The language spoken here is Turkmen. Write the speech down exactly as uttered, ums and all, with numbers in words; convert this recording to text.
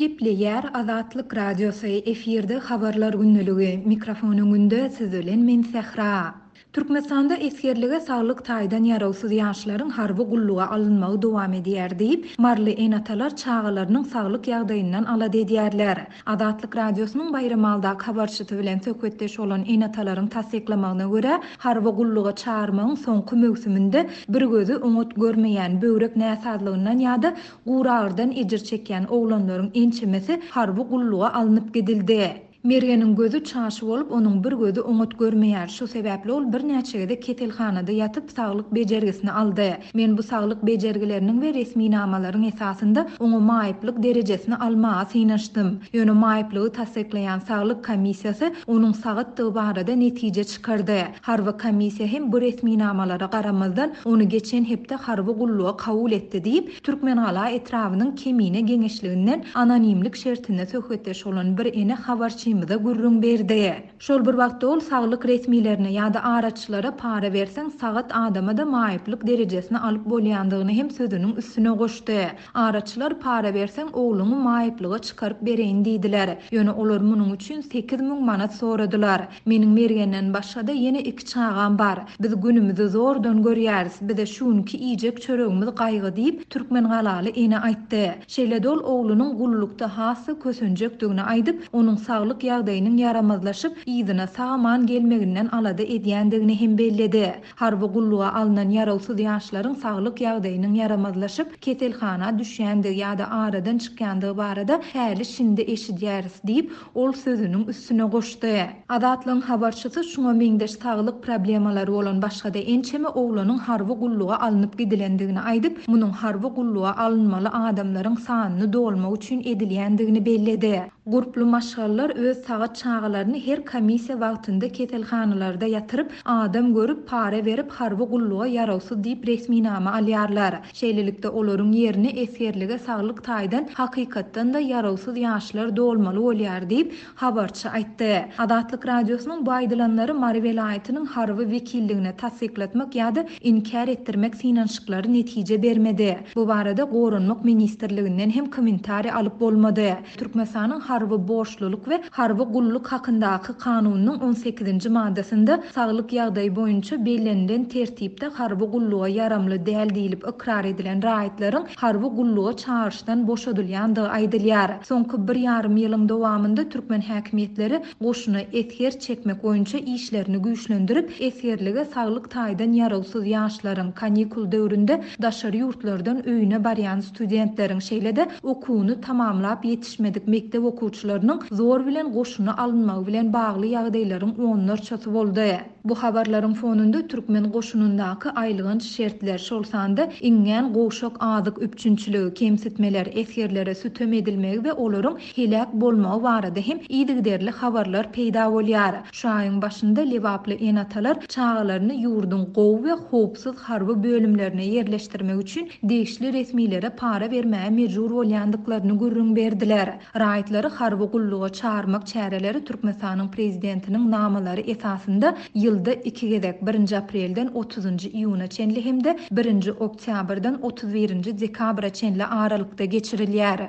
Gepleýär Azatlyk Radiosy, efirde Habarlar gündeligi, mikrofon öňünde siz bilen men Sähra. Türkmenistanda esgerlige saglyk taýdan ýarawsyz ýaşlaryň harby gulluga alynmagy dowam edýär diýip, maryly ene-atalar çagalarynyň saglyk ýagdaýyndan alada edýärler. Azatlyk Radiosynyň Baýramalydaky habarçysy bilen söhbetdeş bolan ene-atalaryň tassyklamagyna görä, harby gulluga çagyrmagyň soňky möwsüminde bir gözi oňat görmeýän, böwrek näsazlygyndan ýa-da guragyrydan ejir çekýän oglanlaryň ençemesi harby gulluga alnyp gidildi. Mergeniň gözi çaşy bolup, onuň bir gözi oňat görmeýär. Şu sebäpli ol birnäçe gezek keselhanada ýatyp, saglyk bejergisini aldy. Men bu saglyk bejergileriniň we resminamalaryň esasynda oňa maýyplyk derejesini almaga synanyşdym. Ýöne maýyplygy tassyklaýan saglyk komissiýasy onuň sagatdygy barada netije çykardy. Harby komissiýa hem bu resminamalara garamazdan, ony geçen hepde harby gulluga kabul etdi diýip, Türkmengala etrabynyň Kemine geňeşliginden anonimlik şertinde söhbetdeş bolan bir ene habarçymyza gürrüň berdi. Şol bir wagtda ol saglyk resmilerine ýa-da araçylara para berseň sagat adama-da maýyplyk derejesini alyp bolýandygyny hem sözüniň üstüne goşdy. Araçylar para berseň ogluňy maýyplyga çykaryp bereýin diýdiler. Ýöne olar munuň üçin sekiz müň manat soradylar. Meniň Mergenden başga-da ýene iki çagam bar. Biz günümizi zordan görýäris. Bize şu günki iýjek çöregimiz gaýgy diýip, Türkmengalaly ene aýtdy. Şeýle-de ol oglunyň gullukda hassa kösenjekdigini aýdyp, onuň saglyk ýagdaýynyň ýaramazlaşyp, yzyna sag-aman gelmeginden alada edýändigini hem belledi. Harby gulluga alnan ýarawsyz ýaşlaryň saglyk ýagdaýynyň ýaramazlaşyp, keselhana düşýändigi ýa-da aradan çykýandygy barada häli şindi eşidýäris diýip, ol sözüniň üstüne goşdy. Azatlygyň habarçysy şuňa meňzeş saglyk problemalary bolan başga-da ençeme oglanyň harby gulluga alnyp gidilendigini aýdyp, munuň harby gulluga alynmaly adamlaryň sanyny dolmak üçin edilýändigini belledi. Gurply maşgalalar öz sagat çagalaryny her komissiýa wagtynda keselhanalarda ýatyryp, adam görüp, para berip, harby gulluga ýarawsyz diýip resminama alýarlar. Şeýlelikde olaryň ýerine esgerlige saglyk taýdan hakykatdan-da ýarawsyz ýaşlar dolmaly bolýar diýip, habarçy aýtdy. Azatlyk Radiosynyň bu aýdylanlary Mary welaýatynyň harby wekilligine tassyklatmak ýa-da inkär etdirmek synanyşyklary netije bermedi. Bu barada Goranmak ministrliginden hem kommentariý alyp bolmady. Türkmenistanyň harby borçlulyk we harby gulluk hakyndaky kanunynyň on sekizinji maddasynda saglyk ýagdaýy boýunça bellenilen tertipde harby gulluga ýaramly däl diýlip ykrar edilen raýatlaryň harby gulluga çagyryşdan boşadylýandygy aýdylýar. Soňky bir ýarym ýylyň dowamynda türkmen häkimiýetleri goşuna esger çekmek boýunça işlerini güýçlendirip, esgerlige saglyk taýdan ýarawsyz ýaşlaryň kanikul döwründe daşary ýurtlardan öýüne barýan studentleriň, şeýle-de okuwyny tamamlap ýetişmedik mekdep okuwçylarynyň zor bilen goşuna alynmagy bilen bagly ýagdaýlaryň onlarçasy boldy. Bu habarlaryň fonunda türkmen goşunyndaky aýylganç şertler, şol sanda iňňän gowşak azyk üpjünçiligi, kemsitmeler, esgerlere sütem edilmegi we olaryň heläk bolmagy barada hem yzygiderli habarlar peýda bolýar. Şu aýyň başynda Lebaply ene-atalar çagalaryny ýurduň gowy we howpsuz harby bölümlerine ýerleşdirmek üçin degişli resmilere para bermäge mejbur bolýandyklaryny gürrüň berdiler. Raýatlary harby gulluga çagyrmak çäreleri Türkmenistanyň prezidentiniň namalary esasynda ýylda iki gezek, birinji aprelden otuzynjy iýuna çenli hem-de birinji oktýabrdan otuz birinji dekabra çenli aralykda geçirilýär.